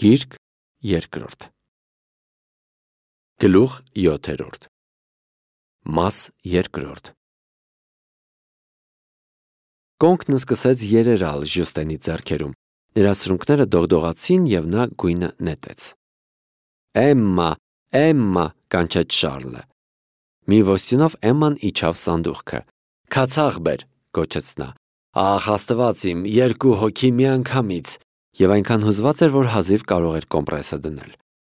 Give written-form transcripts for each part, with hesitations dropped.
Գիրք երկրորդ Գլուխ 7 Մաս երկրորդ Կոնքն սկսեց երերալ Ժյուստենի ձեռքերում, նրա սրունքները դողդողացին և նա գույնը նետեց։ Էմմա, Էմմա, կանչեց Շարլը։ Մի ոստյունով Էմման իջավ սանդուղքը։ Քացաղ բեր, գոչեց նա։ Ախ, Աստված իմ, 2 հոգի միանգամից, և այնքան հուզված էր, որ հազիվ կարող էր կոմպրեսը դնել։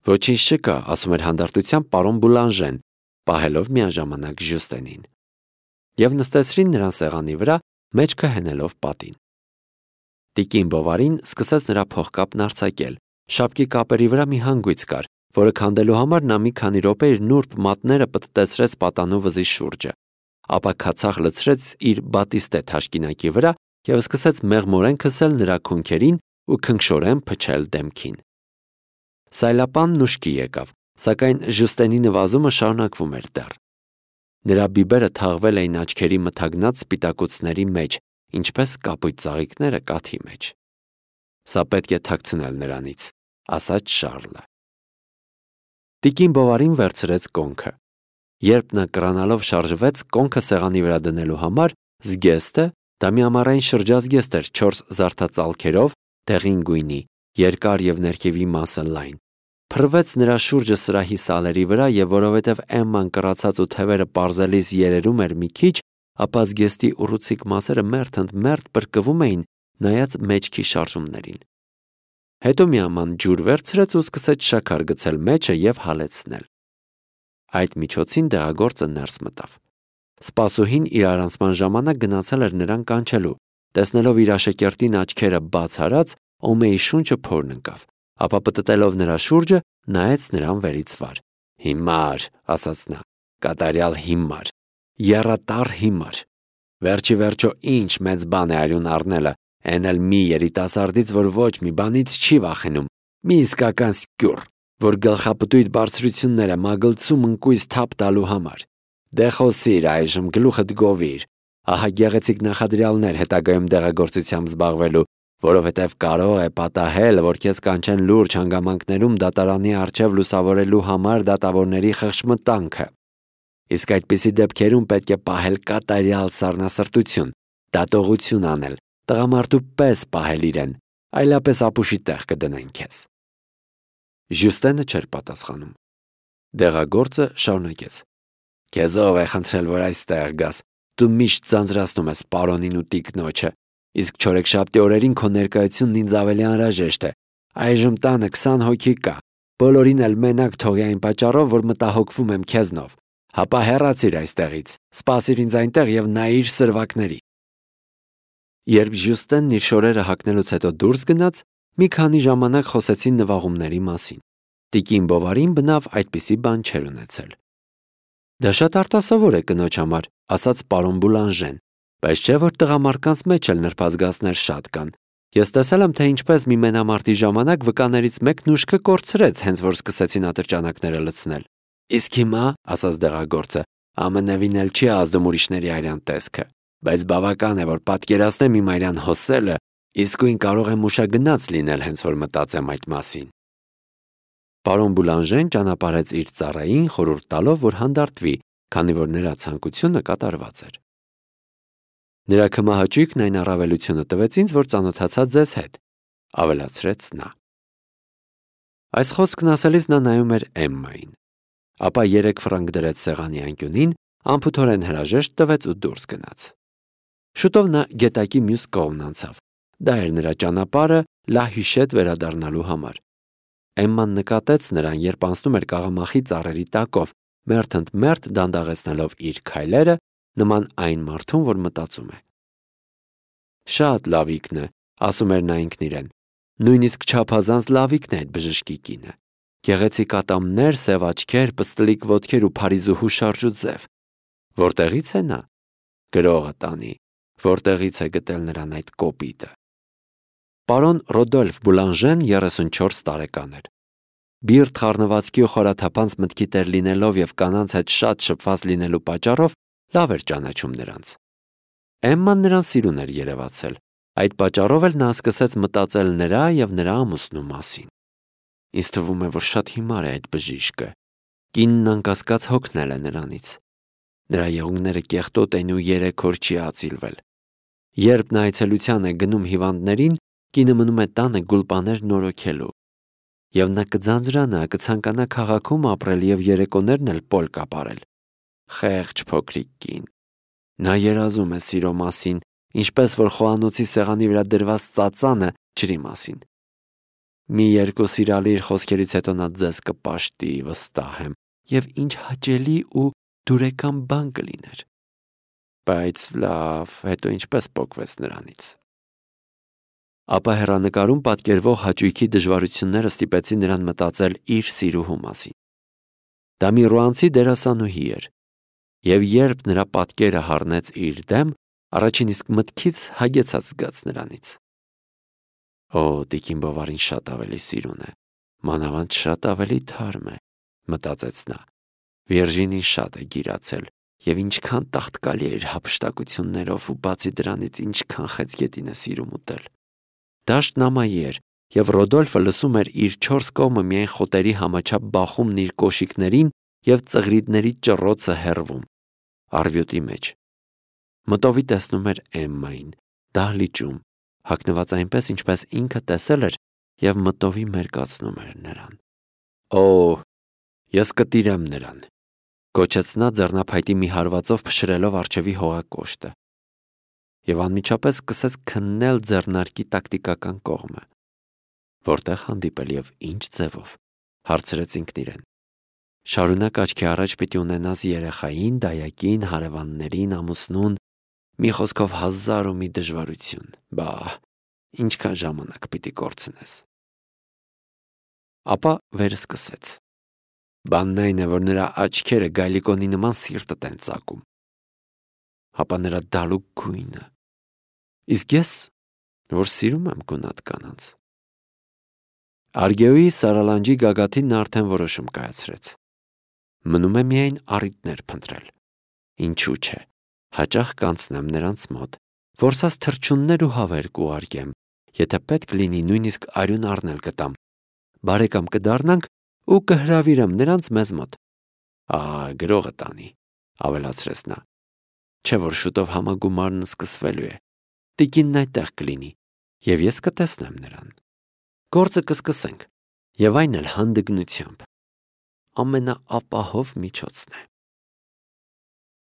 Ոչինչ չկա, ասում էր հանդարտությամբ պարոն Բուլանժեն, պահելով միաժամանակ Ժյուստենին։ Եվ նստեցրին նրան սեղանի վրա, մեջքը հենելով պատին։ Տիկին Բովարին սկսեց նրա փողկապն արձակել։ Շապկի կապերի վրա մի հանգույց կար, որը քանդելու համար նա մի քանի րոպե իր նուրբ մատները պտտեցրեց պատանու վզի շուրջը, ապա քացախ լցրեց իր բատիստե թաշկինակի վրա և սկսեց մեղմորեն քսել նրա քունքերին ու քնքշորեն փչել դեմքին։ Սայլապանն ուշքի եկավ, սակայն Ժյուստենի նվազումը շարունակվում էր դեռ։ Նրա բիբերը թաղվել էին աչքերի մթագնած սպիտակուցների մեջ, ինչպես կապույտ ծաղիկները կաթի մեջ։ Սա պետք է թաքցնել նրանից, ասաց Շարլը։ Տիկին Բովարին վերցրեց կոնքը։ Երբ նա կրանալով շարժվեց կոնքը սեղանի վրա դնելու համար, զգեստը, դա մի ամառային շրջազգեստ էր 4 զարդածալքերով, դեղին գույնի, երկար և ներքևի մասը լայն, փռվեց նրա շուրջը սրահի սալերի վրա և որովհետև Էմման կռացած ու թևերը պարզելիս երերում էր մի քիչ, ապա զգեստի ուռուցիկ մասերը մերթ ընդ մերթ պրկվում էին նայած մեջքի շարժումներին։ Հետո մի աման ջուր վերցրեց ու սկսեց շաքար գցել մեջը և հալեցնել։ Այդ միջոցին դեղագործը ներս մտավ։ Սպասուհին իր առանցման ժամանակ գնացել էր նրան կանչելու, տեսնելով իր աշակերտին աչքերը բաց արած, Օմեի շունչը փորն ընկավ, ապա պտտելով նրա շուրջը, նայեց նրան վերից վար։ Հիմար, ասաց նա, կատարյալ հիմար, եռատար հիմար։ Վերջի վերջո ինչ մեծ բան է արյուն առնելը, այն էլ մի երիտասարդից, որ ոչ մի բանից չի վախենում, մի իսկական սկյուռ, որ գլխապտույտ բարձրությունները մագլցում ընկույզ թափ տալու համար։ Դե խոսիր այժմ, գլուխդ գովիր, ահա գեղեցիկ նախադրյալներ հետագայում դեղագործությամբ զբաղվելու, որովհետև կարող է պատահել, որ քեզ կանչեն լուրջ հանգամանքներում դատարանի առջև լուսավորելու համար դատավորների խղճմտանքը։ Իսկ այդպիսի դեպքերում պետք է պահել կատարյալ սառնասրտություն, դատողություն անել, տղամարդու պես պահել իրեն, այլապես ապուշի տեղ կդնեն քեզ։ Ժյուստենը չէր պատասխանում։ Դեղագործը շարունակեց. Քեզ ով է խնդրել, որ այստեղ գաս, դու միշտ ձանձրացնում ես պարոնին ու տիկնոջը, իսկ չորեքշաբթի օրերին քո ներկայությունն ինձ ավելի անհրաժեշտ է։ Այժմ տանը 20 հոգի կա, բոլորին էլ մենակ թողի այն պատճառով, որ մտահոգվում եմ քեզնով։ Հապա հեռացիր այստեղից, սպասիր ինձ այնտեղ և նայիր սրվակների։ Երբ Ժյուստենն իր շորերը հագնելուց հետո դուրս գնաց, մի քանի ժամանակ խոսեցին նվաղումների մասին։ Տիկին Բովարին բնավ այդպիսի բան չէր ունեցել։ Դա շատ արտասովոր է կնոջ համար, ասաց պարոն Բուլանժեն, բայց չէ որ տղամարդկանց մեջ էլ նրբազգացներ շատ կան։ Ես տեսել եմ, թե ինչպես մի մենամարտի ժամանակ վկաներից մեկն ուշքը կորցրեց, հենց որ սկսեցին ատրճանակները լցնել։ Իսկ հիմա, ասաց դեղագործը, ամենևին էլ չի ազդում ուրիշների արյան տեսքը, բայց բավական է, որ պատկերացնեմ իմ արյան հոսելը, իսկույն կարող եմ ուշագնաց լինել, հենց որ մտածեմ այդ մասին։ Պարոն Բուլանժեն ճանապարհեց իր ծառային, խորհուրդ տալով, որ հանդարտվի, քանի որ նրա ցանկությունը կատարված էր։ Նրա քմահաճույքն այն առավելությունը տվեց ինձ, որ ծանոթացա ձեզ հետ, ավելացրեց նա։ Այս խոսքն ասելիս նա նայում էր Էմմային, ապա 3 ֆրանկ դրեց սեղանի անկյունին, անփութորեն հրաժեշտ տվեց ու դուրս գնաց։ Շուտով նա գետակի մյուս կողմն անցավ։ Դա էր նրա ճանապարհը Լա Հյուշետ վերադառնալու համար։ Էմման նկատեց նրան, երբ անցնում էր կաղամախի ծառերի տակով, մերթ ընդ մերթ դանդաղեցնելով իր քայլերը, նման այն մարդուն, որ մտածում է։ Շատ լավիկն է, ասում էր նա ինքն իրեն, նույնիսկ չափազանց լավիկն է այդ բժշկի կինը։ Գեղեցիկ ատամներ, սև աչքեր, պստլիկ ոտքեր ու փարիզուհու շարժուձև։ Որտեղից է նա։ Գրողը տանի, որտեղից է գտել նրան այդ կոպիտը։ Պարոն Ռոդոլֆ Բուլանժեն 34 տարեկան էր։ Բիրտ խառնվածքի ու խորաթափանց մտքի տեր լինելով և կանանց հետ շատ շփված լինելու պատճառով լավ էր ճանաչում նրանց։ Էմման նրան սիրուն էր երևացել, այդ պատճառով էլ նա սկսեց մտածել նրա և նրա ամուսնու մասին։ Ինձ թվում է, որ շատ հիմար է այդ բժիշկը։ Կինն անկասկած հոգնել է նրանից։ Նրա եղունգները կեղտոտ են ու 3 օր չի ածիլվել։ Երբ նա այցելության է գնում հիվանդներին, կինը մնում է տանը գուլպաներ նորոգելու։ Եվ նա կձանձրանա, կցանկանա քաղաքում ապրել եւ երեկոներն էլ պոլ կապարել։ Խեղճ փոքրիկ կին։ Նա երազում է սիրո մասին, ինչպես որ խոհանոցի սեղանի վրա դրված ծածանը ջրի մասին։ Մի 2 սիրալիր խոսքերից հետո նա ձեզ կպաշտի, վստահ եմ, եւ ինչ հաճելի ու դուրեկան բան կլիներ։ Բայց լավ, հետո ինչպես պոկվեց նրանից։ Ապա հեռանկարում պատկերվող հաճույքի դժվարությունները ստիպեցին նրան մտածել իր սիրուհու մասին։ Դա մի ռուանցի դերասանուհի էր, եւ երբ նրա պատկերը հառնեց իր դեմ, առաջին իսկ մտքից հագեցած զգաց նրանից։ Օ, տիկին Բովարին շատ ավելի սիրուն է, մանավանդ շատ ավելի թարմ է, մտածեց նա։ Վիրջինին շատ է գիրացել, եւ ինչքան տաղտկալի է իր հափշտակություններով ու բացի դրանից ինչքան խեցգետին է սիրում ուտել։ Դաշտն ամայի էր, եւ Ռոդոլֆը լսում էր իր 4 կողմը միայն խոտերի համաչափ բախումն իր կոշիկներին եւ ծղրիդների ճռոցը հեռվում, արվյոտի մեջ։ Մտովի տեսնում էր Էմմային, դահլիճում, հագնված այնպես, ինչպես ինքը տեսել էր եւ մտովի մերկացնում էր նրան։ Օ, ես կտիրեմ նրան, կոչեց նա ձեռնափայտի մի հարվածով փշրելով արջևի հողակոշտը։ Եվ անմիջապես սկսեց քննել ձեռնարկի տակտիկական կողմը։ Որտեղ հանդիպել եւ ինչ ձևով, հարցրեց ինքն իրեն։ Շարունակ աչքի առաջ պիտի ունենաս երեխային, դայակին, հարևաններին, ամուսնուն, մի խոսքով 1000 դժվարություն։ Բա, ինչքան ժամանակ պիտի կորցնես։ Ապա վերսկսեց։ Բանն այն է, որ նրա աչքերը գայլիկոնի նման սիրտդ են ծակում։ Հապա նրա դալուկ գույնը։ Իսկ ես, որ սիրում եմ գունատ կանանց։ Արգեոյի սարալանջի գագաթին նա արդեն որոշում կայացրեց։ Մնում է միայն առիթներ փնտրել։ Ինչու՞ չէ, հաճախ կանցնեմ նրանց մոտ, որսած թռչուններ ու հավեր կուղարկեմ, եթե պետք լինի նույնիսկ արյուն առնել կտամ։ Բարեկամ կդառնանք ու կհրավիրեմ նրանց մեզ մոտ։ Գրողը տանի, ավելացրեց նա։ Չէ որ շուտով համագումարն սկսվելու է։ Տիկինն այդտեղ կլինի, եւ ես կտեսնեմ նրան։ Գործը կսկսենք, եւ այն էլ հանդգնությամբ։ Ամենաապահով միջոցն է։